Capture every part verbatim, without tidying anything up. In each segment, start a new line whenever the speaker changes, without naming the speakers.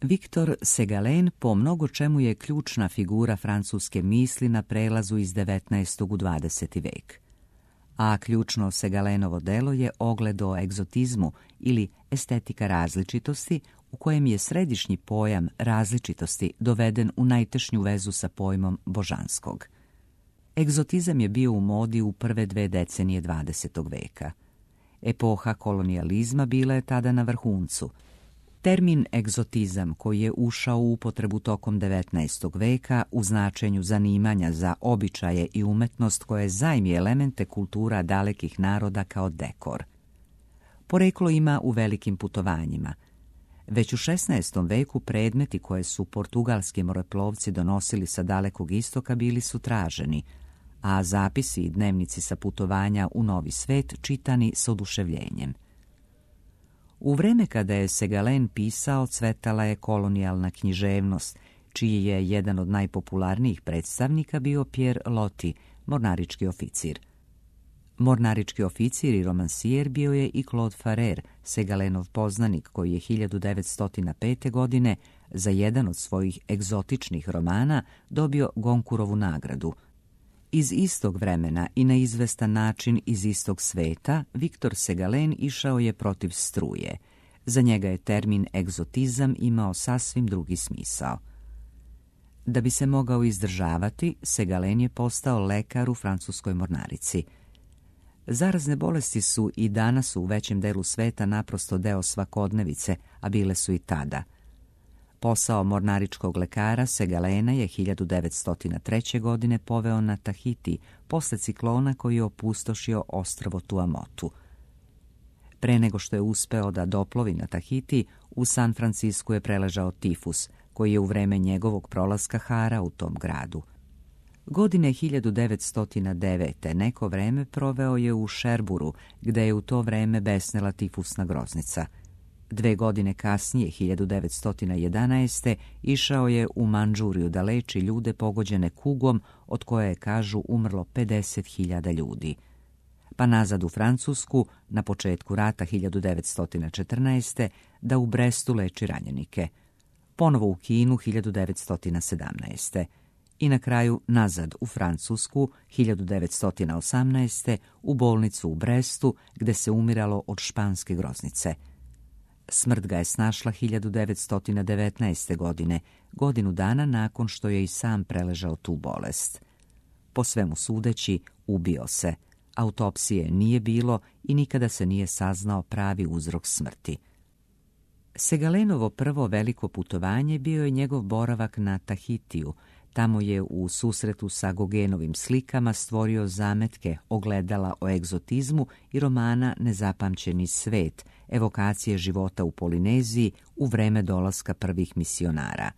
Victor Segalen po mnogo čemu je ključna figura francuske misli na prelazu iz devetnaestog u dvadeseti vek. A ključno Segalenovo delo je Ogled o egzotizmu ili estetika različitosti, u kojem je središnji pojam različitosti doveden u najtešnju vezu sa pojmom božanskog. Egzotizam je bio u modi u prve dve decenije dvadesetog veka. Epoha kolonijalizma bila je tada na vrhuncu. Termin egzotizam, koji je ušao u upotrebu tokom devetnaestog veka u značenju zanimanja za običaje i umetnost koje zajmi elemente kultura dalekih naroda kao dekor. Poreklo ima u velikim putovanjima. Već u šesnaestom veku predmeti koje su portugalski moreplovci donosili sa dalekog istoka bili su traženi, a zapisi i dnevnici sa putovanja u novi svet čitani s oduševljenjem. U vreme kada je Segalen pisao, cvetala je kolonijalna književnost, čiji je jedan od najpopularnijih predstavnika bio Pierre Loti, mornarički oficir. Mornarički oficir i romansijer bio je i Claude Farrer, Segalenov poznanik, koji je hiljadu devetsto pete. godine za jedan od svojih egzotičnih romana dobio Goncourtovu nagradu. Iz istog vremena i na izvestan način iz istog sveta, Victor Segalen išao je protiv struje. Za njega je termin egzotizam imao sasvim drugi smisao. Da bi se mogao izdržavati, Segalen je postao lekar u francuskoj mornarici. Zarazne bolesti su i danas u većem delu sveta naprosto deo svakodnevice, a bile su i tada. Posao mornaričkog lekara Segalena je hiljadu devetsto treće. godine poveo na Tahiti posle ciklona koji je opustošio ostrvo Tuamotu. Pre nego što je uspeo da doplovi na Tahiti, u San Francisku je preležao tifus, koji je u vreme njegovog prolaska harao u tom gradu. Godine hiljadu devetsto devete. neko vreme proveo je u Šerburu, gde je u to vreme besnela tifusna groznica. Dve godine kasnije, hiljadu devetsto jedanaeste. išao je u Mandžuriju da leči ljude pogođene kugom, od koje je, kažu, umrlo pedeset hiljada ljudi. Pa nazad u Francusku, na početku rata hiljadu devetsto četrnaeste. da u Brestu leči ranjenike. Ponovo u Kinu hiljadu devetsto sedamnaeste. I na kraju nazad u Francusku hiljadu devetsto osamnaeste. u bolnicu u Brestu, gde se umiralo od španske groznice. Smrt ga je snašla hiljadu devetsto devetnaeste. godine, godinu dana nakon što je i sam preležao tu bolest. Po svemu sudeći, ubio se. Autopsije nije bilo i nikada se nije saznao pravi uzrok smrti. Segalenovo prvo veliko putovanje bio je njegov boravak na Tahitiju. Tamo je u susretu sa Gauguinovim slikama stvorio zametke ogledala o egzotizmu i romana Nezapamćeni svet, evokacije života u Polineziji u vreme dolaska prvih misionara.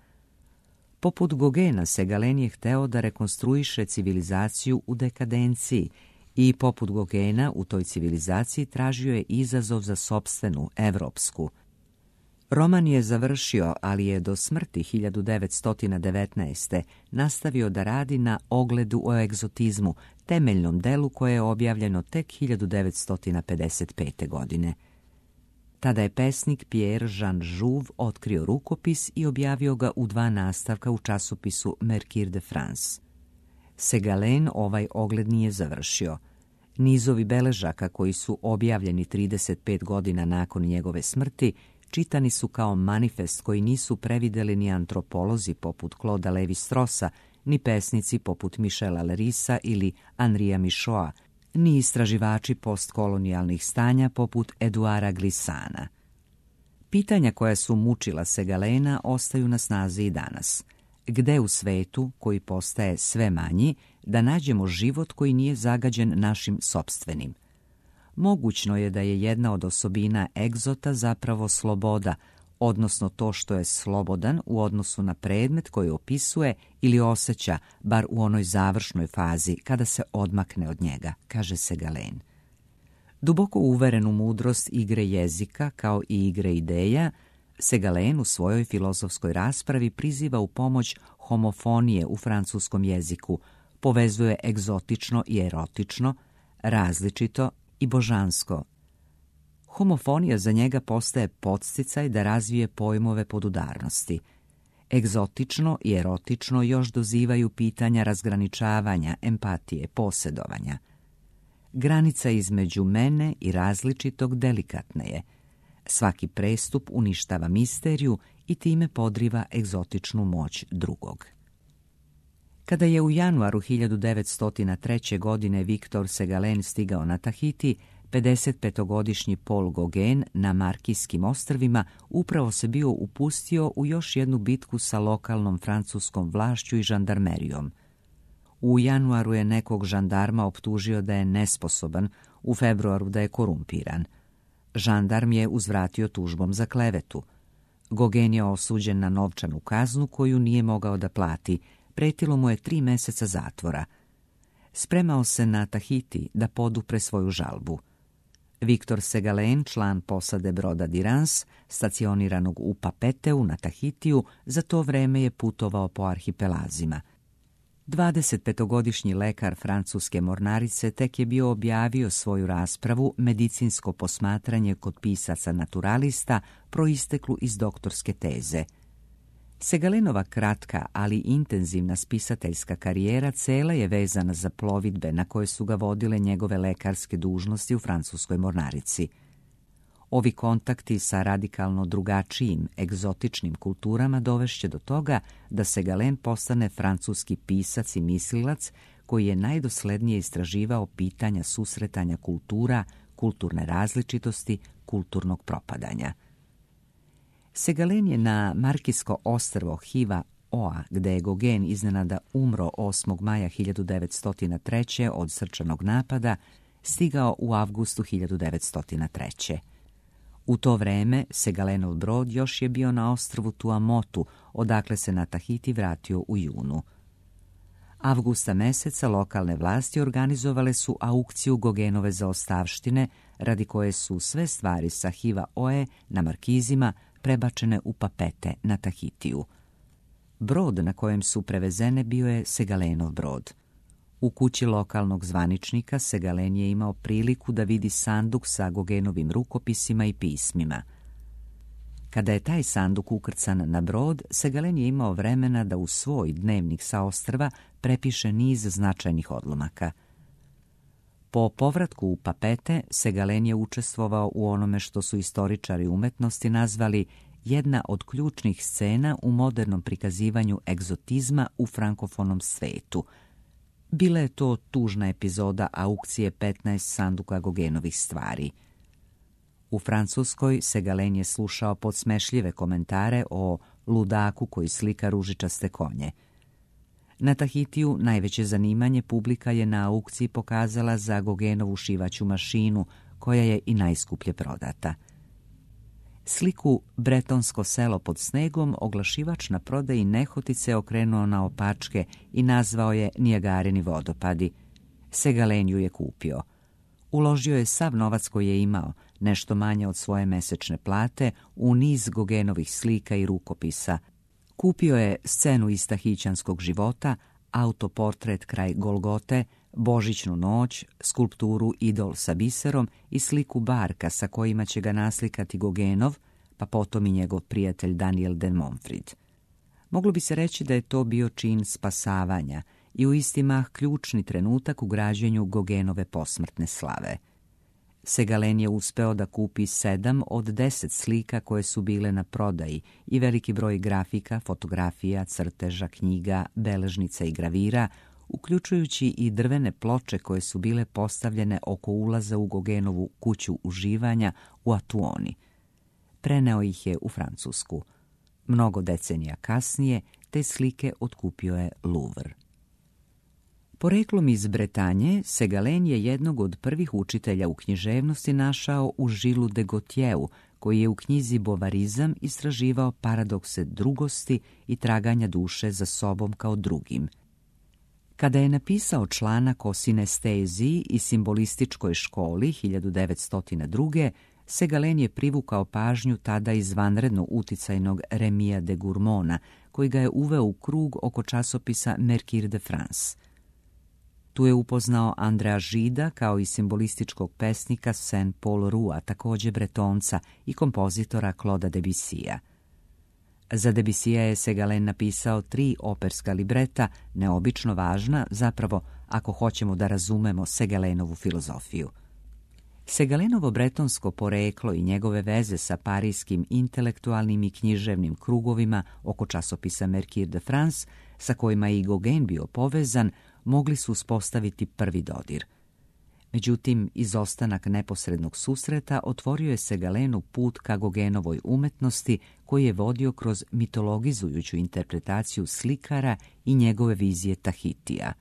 Poput Gauguina, Segalen je hteo da rekonstruiše civilizaciju u dekadenciji i poput Gauguina u toj civilizaciji tražio je izazov za sopstvenu, evropsku. Roman je završio, ali je do smrti hiljadu devetsto devetnaeste. nastavio da radi na Ogledu o egzotizmu, temeljnom delu koje je objavljeno tek hiljadu devetsto pedeset pete. godine. Tada je pesnik Pierre Jean Jouve otkrio rukopis i objavio ga u dva nastavka u časopisu Mercure de France. Segalen ovaj ogled nije završio. Nizovi beležaka koji su objavljeni trideset pet godina nakon njegove smrti čitani su kao manifest koji nisu prevideli ni antropolozi poput Clauda Levi-Strossa, ni pesnici poput Michela Lerisa ili Henria Michaud, ni istraživači postkolonijalnih stanja poput Eduara Glissana. Pitanja koja su mučila Segalena ostaju na snazi i danas. Gde u svetu, koji postaje sve manji, da nađemo život koji nije zagađen našim sopstvenim? Mogućno je da je jedna od osobina egzota zapravo sloboda, odnosno to što je slobodan u odnosu na predmet koji opisuje ili osjeća, bar u onoj završnoj fazi kada se odmakne od njega, kaže Segalen. Duboko uveren u mudrost igre jezika kao i igre ideja, Segalen u svojoj filozofskoj raspravi priziva u pomoć homofonije u francuskom jeziku, povezuje egzotično i erotično, različito i božansko. Homofonija za njega postaje podsticaj da razvije pojmove podudarnosti. Egzotično i erotično još dozivaju pitanja razgraničavanja, empatije, posjedovanja. Granica između mene i različitog delikatna je. Svaki prestup uništava misteriju i time podriva egzotičnu moć drugog. Kada je u januaru hiljadu devetsto treće. godine Victor Segalen stigao na Tahiti, pedesetpetogodišnji Paul Gauguin na Markijskim ostrvima upravo se bio upustio u još jednu bitku sa lokalnom francuskom vlašću i žandarmerijom. U januaru je nekog žandarma optužio da je nesposoban, u februaru da je korumpiran. Žandarm je uzvratio tužbom za klevetu. Gauguin je osuđen na novčanu kaznu koju nije mogao da plati, pretilo mu je tri meseca zatvora. Spremao se na Tahiti da podupre svoju žalbu. Victor Segalen, član posade broda Dirans, stacioniranog u Papeteu na Tahitiju, za to vreme je putovao po arhipelazima. dvadesetpetogodišnji lekar francuske mornarice tek je bio objavio svoju raspravu Medicinsko posmatranje kod pisaca naturalista, proisteklu iz doktorske teze. Segalenova kratka, ali intenzivna spisateljska karijera cela je vezana za plovidbe na koje su ga vodile njegove lekarske dužnosti u francuskoj mornarici. Ovi kontakti sa radikalno drugačijim, egzotičnim kulturama dovešće do toga da Segalen postane francuski pisac i mislilac koji je najdoslednije istraživao pitanja susretanja kultura, kulturne različitosti, kulturnog propadanja. Segalen je na Markijsko ostrvo Hiva Oa, gde je Gauguin iznenada umro osmog maja hiljadu devetsto treće. od srčanog napada, stigao u avgustu hiljadu devetsto treće. U to vreme Segalenov brod još je bio na ostrvu Tuamotu, odakle se na Tahiti vratio u junu. Avgusta meseca lokalne vlasti organizovale su aukciju Gauguinove zaostavštine, radi koje su sve stvari sa Hiva Oe na Markizima prebačene u Papete na Tahitiju. Brod na kojem su prevezene bio je Segalenov brod. U kući lokalnog zvaničnika Segalen je imao priliku da vidi sanduk sa Gauguinovim rukopisima i pismima. Kada je taj sanduk ukrcan na brod, Segalen je imao vremena da u svoj dnevnik sa ostrva prepiše niz značajnih odlomaka. Po povratku u Papete, Segalen je učestvovao u onome što su istoričari umetnosti nazvali jedna od ključnih scena u modernom prikazivanju egzotizma u frankofonom svetu. Bila je to tužna epizoda aukcije petnaest sanduka Gauguinovih stvari. U Francuskoj Segalen je slušao podsmešljive komentare o ludaku koji slika ružičaste konje. Na Tahitiju najveće zanimanje publika je na aukciji pokazala za Gauguinovu šivaću mašinu, koja je i najskuplje prodata. Sliku Bretonsko selo pod snegom oglašivač na prodaji nehotice okrenuo na opačke i nazvao je Nijagarini vodopadi. Segalen ju je kupio. Uložio je sav novac koji je imao, nešto manje od svoje mesečne plate, u niz Gauguinovih slika i rukopisa. Kupio je scenu iz tahićanskog života, autoportret kraj Golgote, Božićnu noć, skulpturu Idol sa biserom i sliku barka sa kojima će ga naslikati Gauguinov, pa potom i njegov prijatelj Daniel de Montfrid. Moglo bi se reći da je to bio čin spasavanja i u isti mah ključni trenutak u građenju Gauguinove posmrtne slave. Segalen je uspeo da kupi sedam od deset slika koje su bile na prodaji i veliki broj grafika, fotografija, crteža, knjiga, beležnica i gravira, uključujući i drvene ploče koje su bile postavljene oko ulaza u Gauguinovu kuću uživanja u Atuoni. Preneo ih je u Francusku. Mnogo decenija kasnije te slike otkupio je Louvre. Poreklom iz Bretanje, Segalen je jednog od prvih učitelja u književnosti našao u Žilu de Gautieru, koji je u knjizi Bovarizam istraživao paradokse drugosti i traganja duše za sobom kao drugim. Kada je napisao članak o sinesteziji i simbolističkoj školi hiljadu devetsto druge. Segalen je privukao pažnju tada izvanredno uticajnog Remija de Gourmona, koji ga je uveo u krug oko časopisa Mercure de France. Tu je upoznao Andrea Žida kao i simbolističkog pesnika Saint-Paul Roua, također Bretonca, i kompozitora Claude Debussija. Za Debussija je Segalen napisao tri operska libreta, neobično važna, zapravo, ako hoćemo da razumemo Segalenovu filozofiju. Segalenovo bretonsko poreklo i njegove veze sa parijskim intelektualnim i književnim krugovima oko časopisa Mercure de France, sa kojima je i Gauguin bio povezan, mogli su uspostaviti prvi dodir. Međutim, izostanak neposrednog susreta otvorio je Segalenu put ka Gauguinovoj umetnosti, koji je vodio kroz mitologizujuću interpretaciju slikara i njegove vizije Tahitija.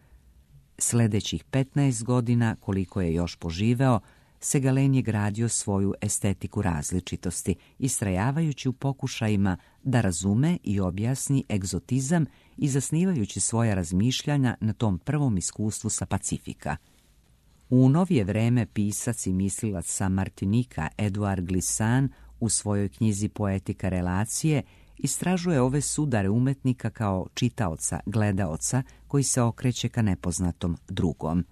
Sljedećih petnaest godina, koliko je još poživeo, Segalen je gradio svoju estetiku različitosti, istrajavajući u pokušajima da razume i objasni egzotizam i zasnivajući svoja razmišljanja na tom prvom iskustvu sa Pacifika. U novije vreme pisac i mislilac sa Martinika Eduard Glissant u svojoj knjizi Poetika relacije istražuje ove sudare umetnika kao čitaoca, gledaoca koji se okreće ka nepoznatom drugom.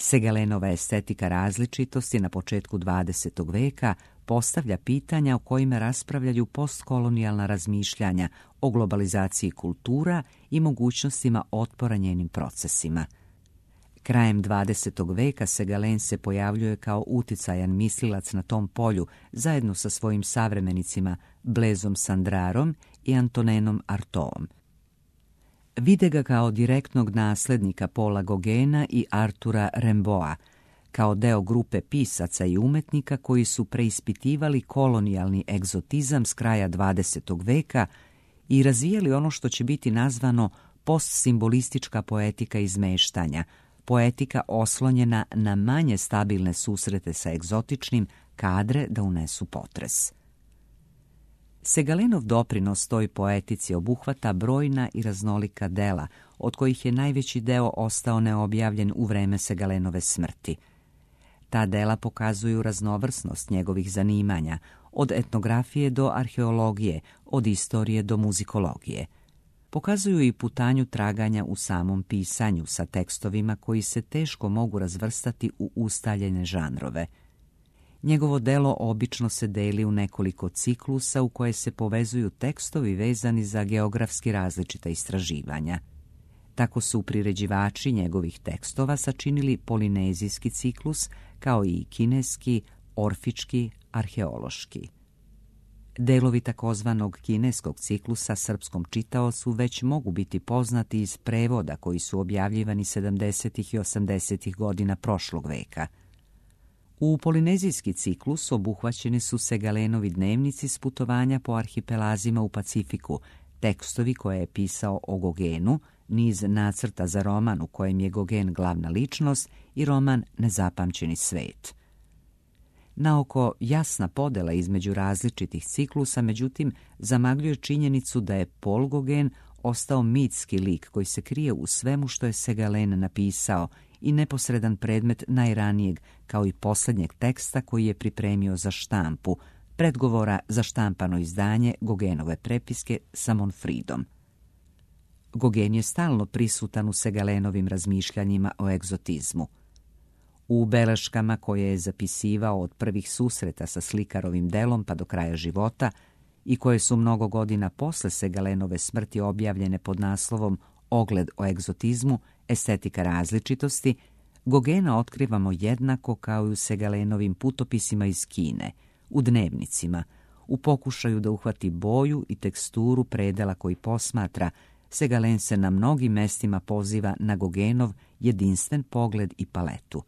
Segalenova estetika različitosti na početku dvadesetog veka postavlja pitanja o kojima raspravljaju postkolonijalna razmišljanja o globalizaciji kultura i mogućnostima otpora njenim procesima. Krajem dvadesetog veka Segalen se pojavljuje kao uticajan mislilac na tom polju zajedno sa svojim savremenicima Blaizom Sandrarom i Antonenom Artaudom. Vide ga kao direktnog nasljednika Paula Gauguina i Artura Rimbaуда, kao deo grupe pisaca i umetnika koji su preispitivali kolonijalni egzotizam s kraja dvadesetog veka i razvijali ono što će biti nazvano postsimbolistička poetika izmeštanja, poetika oslonjena na manje stabilne susrete sa egzotičnim, kadre da unesu potres. Segalenov doprinos toj poetici obuhvata brojna i raznolika dela, od kojih je najveći deo ostao neobjavljen u vreme Segalenove smrti. Ta dela pokazuju raznovrsnost njegovih zanimanja, od etnografije do arheologije, od istorije do muzikologije. Pokazuju i putanju traganja u samom pisanju sa tekstovima koji se teško mogu razvrstati u ustaljene žanrove. Njegovo delo obično se deli u nekoliko ciklusa u koje se povezuju tekstovi vezani za geografski različita istraživanja. Tako su priređivači njegovih tekstova sačinili polinezijski ciklus, kao i kineski, orfički, arheološki. Delovi takozvanog kineskog ciklusa srpskom čitaocu već mogu biti poznati iz prevoda koji su objavljivani sedamdesetih i osamdesetih godina prošlog veka. U polinezijski ciklus obuhvaćeni su Segalenovi dnevnici s putovanja po arhipelazima u Pacifiku, tekstovi koje je pisao o Gauguinu, niz nacrta za roman u kojem je Gauguin glavna ličnost i roman Nezapamćeni svet. Naoko jasna podela između različitih ciklusa, međutim, zamagljuje činjenicu da je Paul Gauguin ostao mitski lik koji se krije u svemu što je Segalen napisao i neposredan predmet najranijeg, kao i posljednjeg teksta koji je pripremio za štampu, predgovora za štampano izdanje Gauguinove prepiske sa Monfridom. Gauguin je stalno prisutan u Segalenovim razmišljanjima o egzotizmu. U beleškama koje je zapisivao od prvih susreta sa slikarovim delom pa do kraja života i koje su mnogo godina posle Segalenove smrti objavljene pod naslovom Ogled o egzotizmu, estetika različitosti, Gauguina otkrivamo jednako kao i u Segalenovim putopisima iz Kine, u dnevnicima, u pokušaju da uhvati boju i teksturu predela koji posmatra. Segalen se na mnogim mestima poziva na Gauguinov jedinstven pogled i paletu.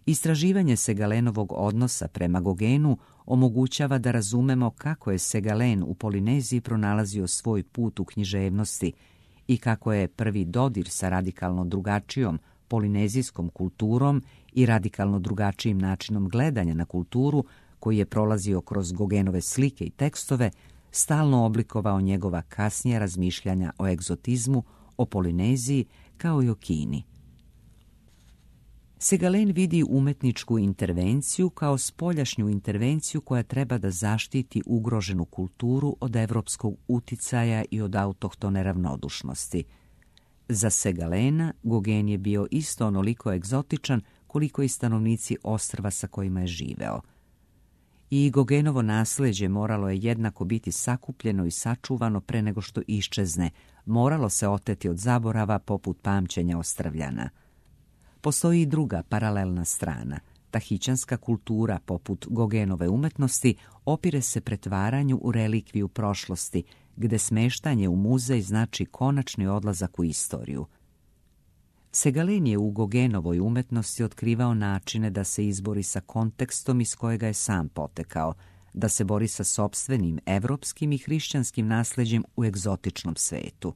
Istraživanje Segalenovog odnosa prema Gauguinu omogućava da razumemo kako je Segalen u Polineziji pronalazio svoj put u književnosti i kako je prvi dodir sa radikalno drugačijom polinezijskom kulturom i radikalno drugačijim načinom gledanja na kulturu, koji je prolazio kroz Gauguinove slike i tekstove, stalno oblikovao njegova kasnija razmišljanja o egzotizmu, o Polineziji kao i o Kini. Segalen vidi umetničku intervenciju kao spoljašnju intervenciju koja treba da zaštiti ugroženu kulturu od evropskog uticaja i od autohtone ravnodušnosti. Za Segalena Gauguin je bio isto onoliko egzotičan koliko i stanovnici ostrva sa kojima je živeo. I Gauguinovo nasljeđe moralo je jednako biti sakupljeno i sačuvano pre nego što iščezne, moralo se oteti od zaborava poput pamćenja Ostrvljana. Postoji i druga paralelna strana. Tahićanska kultura, poput Gauguinove umetnosti, opire se pretvaranju u relikviju prošlosti, gde smeštanje u muzej znači konačni odlazak u istoriju. Segalen je u Gauguinovoj umetnosti otkrivao načine da se izbori sa kontekstom iz kojega je sam potekao, da se bori sa sopstvenim evropskim i hrišćanskim nasleđem u egzotičnom svetu.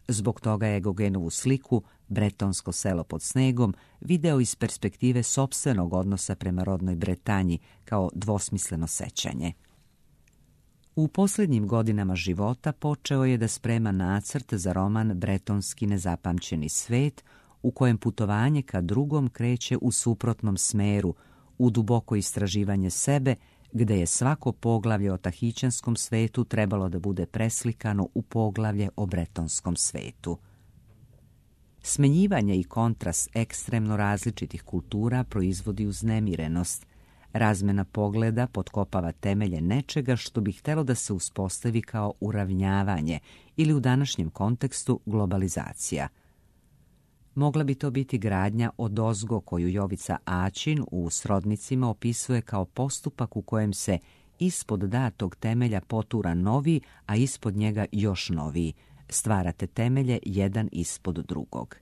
Zbog toga je Gauguinovu sliku Bretonsko selo pod snegom video iz perspektive sopstvenog odnosa prema rodnoj Bretanji kao dvosmisleno sećanje. U posljednjim godinama života počeo je da sprema nacrt za roman Bretonski nezapamćeni svet, u kojem putovanje ka drugom kreće u suprotnom smeru, u duboko istraživanje sebe, gde je svako poglavlje o tahićanskom svetu trebalo da bude preslikano u poglavlje o bretonskom svetu. Smenjivanje i kontrast ekstremno različitih kultura proizvodi uznemirenost. Razmena pogleda potkopava temelje nečega što bi htelo da se uspostavi kao uravnjavanje ili u današnjem kontekstu globalizacija. Mogla bi to biti gradnja odozgo koju Jovica Aćin u Srodnicima opisuje kao postupak u kojem se ispod datog temelja potura novi, a ispod njega još noviji. Stvarate temelje jedan ispod drugog.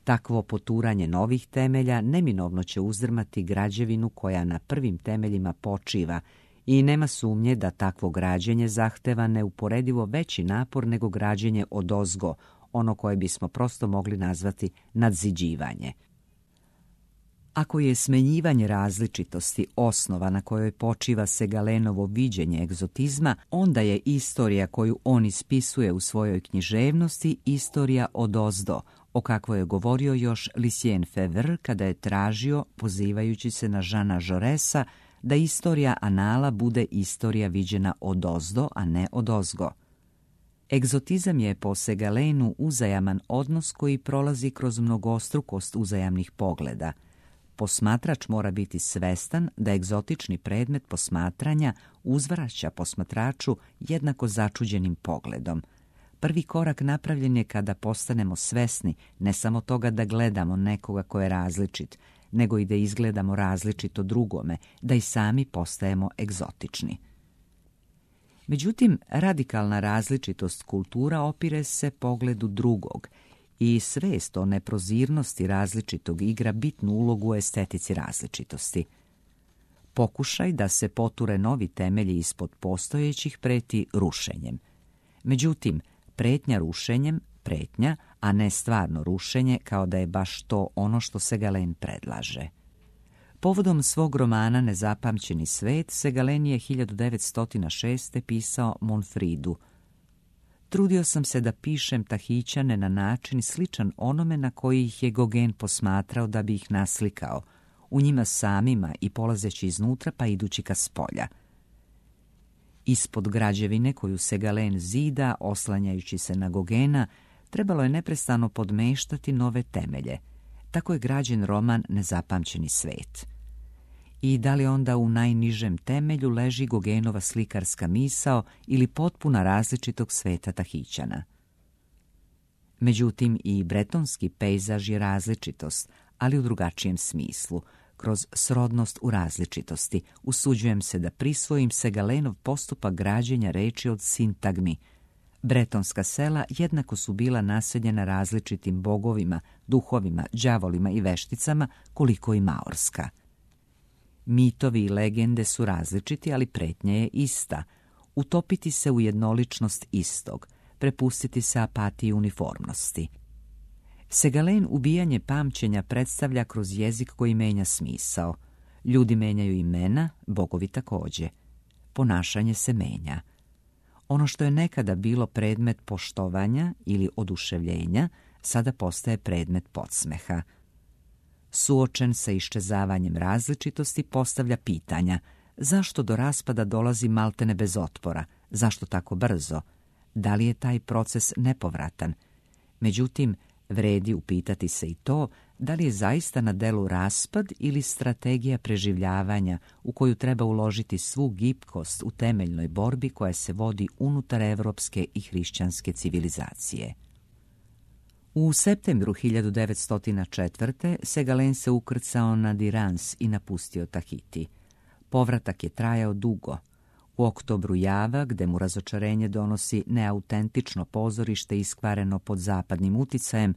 Takvo poturanje novih temelja neminovno će uzdrmati građevinu koja na prvim temeljima počiva i nema sumnje da takvo građenje zahteva neuporedivo veći napor nego građenje odozgo, ono koje bismo prosto mogli nazvati nadziđivanje. Ako je smenjivanje različitosti osnova na kojoj počiva Segalenovo viđenje egzotizma, onda je istorija koju on ispisuje u svojoj književnosti istorija odozdo, o kakvoj je govorio još Lucien Febvre kada je tražio, pozivajući se na Jeana Jaurèsa, da istorija anala bude istorija viđena odozdo, a ne odozgo. Egzotizam je po Segalenu uzajaman odnos koji prolazi kroz mnogostrukost uzajamnih pogleda. Posmatrač mora biti svestan da egzotični predmet posmatranja uzvraća posmatraču jednako začuđenim pogledom. Prvi korak napravljen je kada postanemo svesni ne samo toga da gledamo nekoga ko je različit, nego i da izgledamo različito drugome, da i sami postajemo egzotični. Međutim, radikalna različitost kultura opire se pogledu drugog i svest o neprozirnosti različitog igra bitnu ulogu u estetici različitosti. Pokušaj da se poture novi temelji ispod postojećih preti rušenjem. Međutim, pretnja rušenjem, pretnja, a ne stvarno rušenje, kao da je baš to ono što Segalen predlaže. Povodom svog romana Nezapamćeni svet, Segalen je hiljadu devetsto šeste. pisao Monfridu. Trudio sam se da pišem Tahićane na način sličan onome na koji ih je Gauguin posmatrao da bi ih naslikao, u njima samima i polazeći iznutra pa idući ka spolja. Ispod građevine koju Segalen zida, oslanjajući se na Gauguina, trebalo je neprestano podmeštati nove temelje. Tako je građen roman Nezapamćeni svet. I da li onda u najnižem temelju leži Gauguinova slikarska misao ili potpuna različitog sveta Tahićana? Međutim, i bretonski pejzaž je različitost, ali u drugačijem smislu. Kroz srodnost u različitosti usuđujem se da prisvojim Segalenov postupak građenja reči od sintagmi. Bretonska sela jednako su bila naseljena različitim bogovima, duhovima, đavolima i vešticama, koliko i maorska. Mitovi i legende su različiti, ali pretnja je ista. Utopiti se u jednoličnost istog, prepustiti se apatiji uniformnosti. Segalen ubijanje pamćenja predstavlja kroz jezik koji menja smisao. Ljudi menjaju imena, bogovi takođe. Ponašanje se menja. Ono što je nekada bilo predmet poštovanja ili oduševljenja, sada postaje predmet podsmeha. Suočen sa iščezavanjem različitosti postavlja pitanja: zašto do raspada dolazi maltene bez otpora? Zašto tako brzo? Da li je taj proces nepovratan? Međutim, vredi upitati se i to da li je zaista na delu raspad ili strategija preživljavanja u koju treba uložiti svu gibkost u temeljnoj borbi koja se vodi unutar evropske i hrišćanske civilizacije. U septembru hiljadu devetsto četvrte. Segalen se ukrcao na Dirans i napustio Tahiti. Povratak je trajao dugo. U oktobru Java, gde mu razočarenje donosi neautentično pozorište iskvareno pod zapadnim uticajem,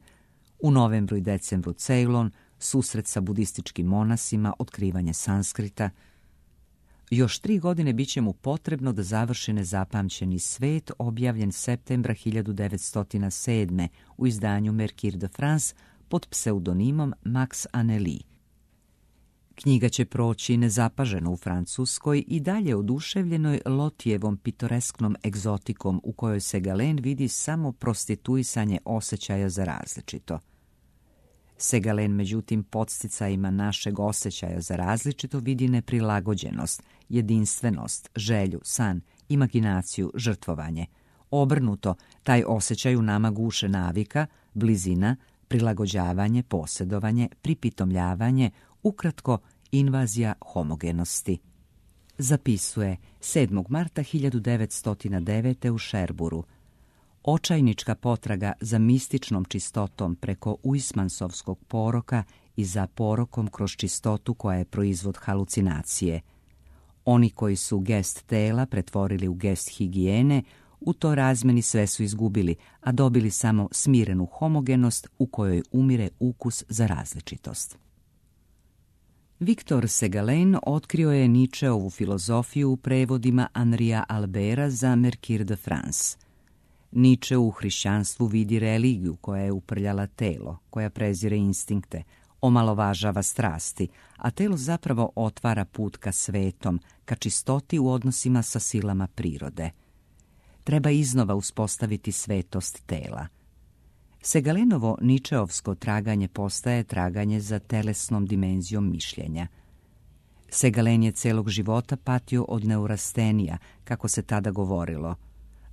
u novembru i decembru Ceylon, susret sa budističkim monasima, otkrivanje Sanskrita. Još tri godine bit će mu potrebno da završi Nezapamćeni svet, objavljen septembra hiljadu devetsto sedme. u izdanju Mercure de France pod pseudonimom Max Anneli. Knjiga će proći nezapaženo u Francuskoj i dalje oduševljenoj Lotijevom pitoresknom egzotikom u kojoj Segalen vidi samo prostituisanje osjećaja za različito. Segalen, međutim, podsticajima našeg osjećaja za različito vidi neprilagođenost, jedinstvenost, želju, san, imaginaciju, žrtvovanje. Obrnuto, taj osjećaj u nama guše navika, blizina, prilagođavanje, posjedovanje, pripitomljavanje, ukratko, invazija homogenosti. Zapisuje sedmog marta hiljadu devetsto devete. u Šerburu. Očajnička potraga za mističnom čistotom preko uismansovskog poroka i za porokom kroz čistotu koja je proizvod halucinacije. Oni koji su gest tela pretvorili u gest higijene, u to razmeni sve su izgubili, a dobili samo smirenu homogenost u kojoj umire ukus za različitost. Victor Segalen otkrio je Nietzscheovu filozofiju u prevodima Henria Albera za Mercure de France. Nietzsche u hrišćanstvu vidi religiju koja je uprljala telo, koja prezire instinkte, omalovažava strasti, a telo zapravo otvara put ka svetom, ka čistoti u odnosima sa silama prirode. Treba iznova uspostaviti svetost tela. Segalenovo Nietzscheovsko traganje postaje traganje za telesnom dimenzijom mišljenja. Segalen je celog života patio od neurastenija, kako se tada govorilo.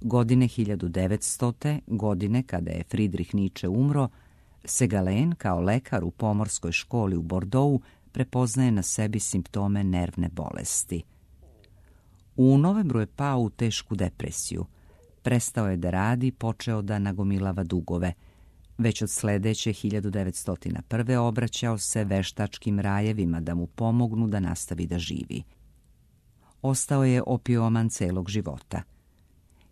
Godine hiljadu devetstote. godine kada je Friedrich Nietzsche umro, Segalen kao lekar u pomorskoj školi u Bordeauxu prepoznaje na sebi simptome nervne bolesti. U novembru je pao u tešku depresiju. Prestao je da radi, počeo da nagomilava dugove. Već od sledeće hiljadu devetsto prve. obraćao se veštačkim rajevima da mu pomognu da nastavi da živi. Ostao je opioman celog života.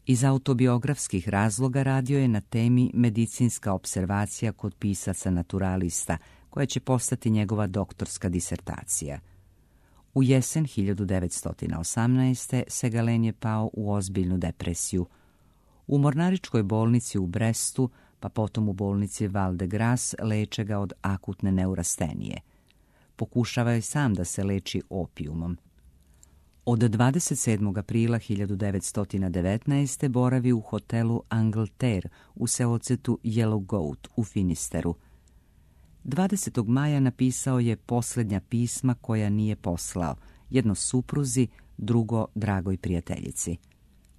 Iz autobiografskih razloga radio je na temi medicinska observacija kod pisaca naturalista, koja će postati njegova doktorska disertacija. U jesen hiljadu devetsto osamnaeste. Segalen je pao u ozbiljnu depresiju. U mornaričkoj bolnici u Brestu, pa potom u bolnici Val de Grace, leče ga od akutne neurastenije. Pokušava je sam da se leči opijumom. Od dvadeset sedmog aprila hiljadu devetsto devetnaeste. boravi u hotelu Angleterre u seocetu Yellow Goat u Finisteru. dvadesetog maja napisao je posljednja pisma koja nije poslao, jedno supruzi, drugo dragoj prijateljici.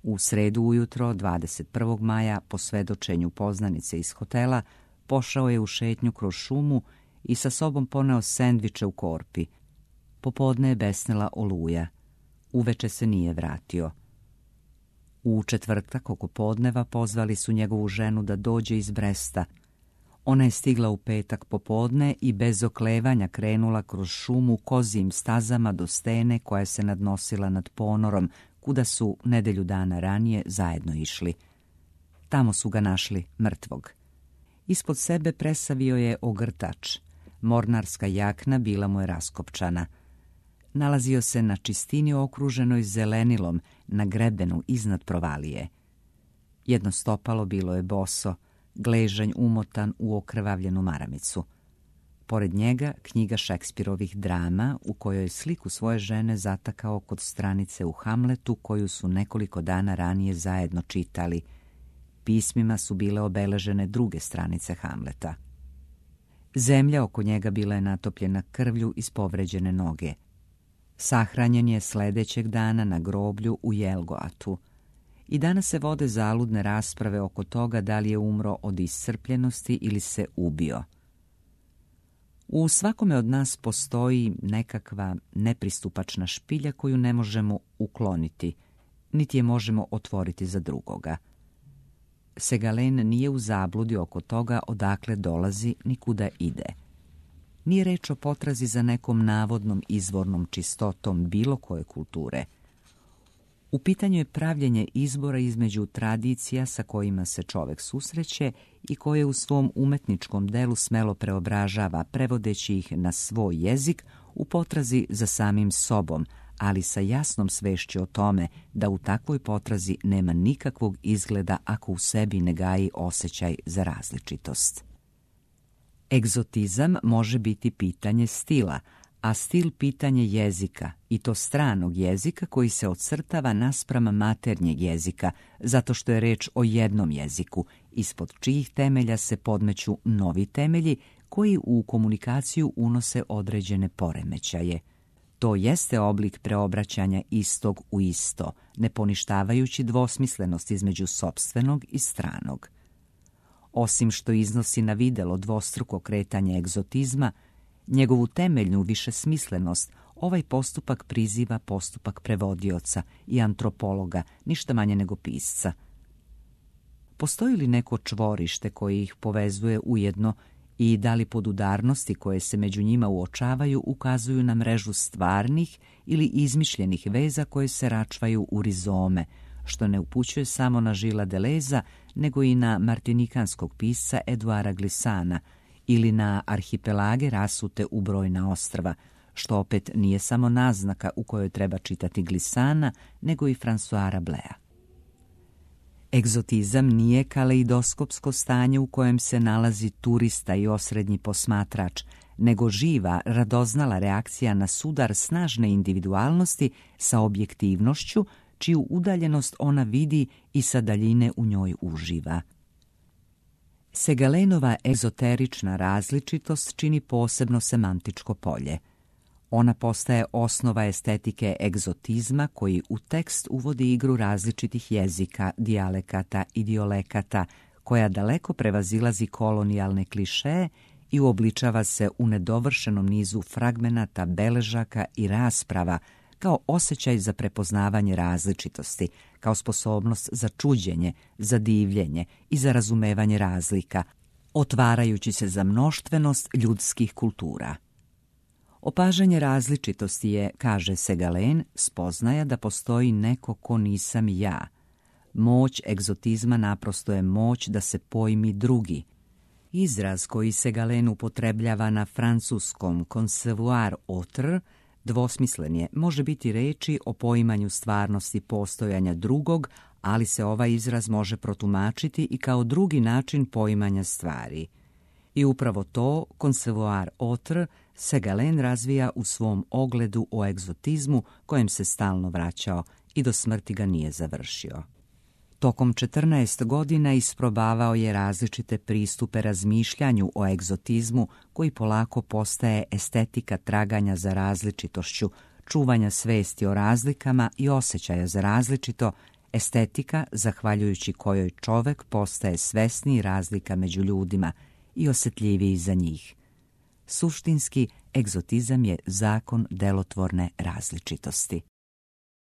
U sredu ujutro, dvadeset prvog maja, po svedočenju poznanice iz hotela, pošao je u šetnju kroz šumu i sa sobom poneo sendviče u korpi. Popodne je besnela oluja. Uveče se nije vratio. U četvrtak oko podneva pozvali su njegovu ženu da dođe iz Bresta. Ona je stigla u petak popodne i bez oklevanja krenula kroz šumu kozijim stazama do stene koja se nadnosila nad ponorom, kuda su nedelju dana ranije zajedno išli. Tamo su ga našli mrtvog. Ispod sebe presavio je ogrtač. Mornarska jakna bila mu je raskopčana. Nalazio se na čistini okruženoj zelenilom, na grebenu iznad provalije. Jedno stopalo bilo je boso, gležanj umotan u okrvavljenu maramicu. Pored njega knjiga Šekspirovih drama u kojoj je sliku svoje žene zatakao kod stranice u Hamletu koju su nekoliko dana ranije zajedno čitali. Pismima su bile obeležene druge stranice Hamleta. Zemlja oko njega bila je natopljena krvlju iz povređene noge. Sahranjen je sledećeg dana na groblju u Jelgoatu. I danas se vode zaludne rasprave oko toga da li je umro od iscrpljenosti ili se ubio. U svakome od nas postoji nekakva nepristupačna špilja koju ne možemo ukloniti, niti je možemo otvoriti za drugoga. Segalen nije u zabludi oko toga odakle dolazi ni kuda ide. Nije reč o potrazi za nekom navodnom izvornom čistotom bilo koje kulture. U pitanju je pravljenje izbora između tradicija sa kojima se čovek susreće i koje u svom umetničkom delu smelo preobražava, prevodeći ih na svoj jezik u potrazi za samim sobom, ali sa jasnom svešću o tome da u takvoj potrazi nema nikakvog izgleda ako u sebi ne gaji osjećaj za različitost. Egzotizam može biti pitanje stila, a stil pitanje jezika, i to stranog jezika koji se ocrtava naspram maternjeg jezika, zato što je reč o jednom jeziku, ispod čijih temelja se podmeću novi temelji koji u komunikaciju unose određene poremećaje. To jeste oblik preobraćanja istog u isto, ne poništavajući dvosmislenost između sopstvenog i stranog. Osim što iznosi na videlo dvostruko kretanje egzotizma, njegovu temeljnu višesmislenost ovaj postupak priziva postupak prevodioca i antropologa, ništa manje nego pisca. Postoji li neko čvorište koje ih povezuje ujedno i da li podudarnosti koje se među njima uočavaju ukazuju na mrežu stvarnih ili izmišljenih veza koje se račvaju u rizome, što ne upućuje samo na Gilesa Deleuza, nego i na martinikanskog pisca Eduara Glissana ili na arhipelage rasute u brojna ostrva, što opet nije samo naznaka u kojoj treba čitati Glissana, nego i Françoisa Rabelesa. Egzotizam nije kaleidoskopsko stanje u kojem se nalazi turista i osrednji posmatrač, nego živa, radoznala reakcija na sudar snažne individualnosti sa objektivnošću, čiju udaljenost ona vidi i sa daljine u njoj uživa. Segalenova ezoterična različitost čini posebno semantičko polje. Ona postaje osnova estetike egzotizma koji u tekst uvodi igru različitih jezika, dijalekata i diolekata, koja daleko prevazilazi kolonijalne klišeje i uobličava se u nedovršenom nizu fragmenata, beležaka i rasprava, kao osjećaj za prepoznavanje različitosti, kao sposobnost za čuđenje, za divljenje i za razumevanje razlika, otvarajući se za mnoštvenost ljudskih kultura. Opažanje različitosti je, kaže Segalen, spoznaja da postoji neko ko nisam ja. Moć egzotizma naprosto je moć da se pojmi drugi. Izraz koji Segalen upotrebljava na francuskom concevoir autre dvosmislen je, može biti reči o poimanju stvarnosti postojanja drugog, ali se ovaj izraz može protumačiti i kao drugi način poimanja stvari. I upravo to concevoir autre Segalen razvija u svom ogledu o egzotizmu kojem se stalno vraćao i do smrti ga nije završio. Tokom četrnaest godina isprobavao je različite pristupe razmišljanju o egzotizmu koji polako postaje estetika traganja za različitošću, čuvanja svesti o razlikama i osjećaja za različito, estetika zahvaljujući kojoj čovek postaje svesniji razlika među ljudima i osjetljiviji za njih. Suštinski, egzotizam je zakon delotvorne različitosti.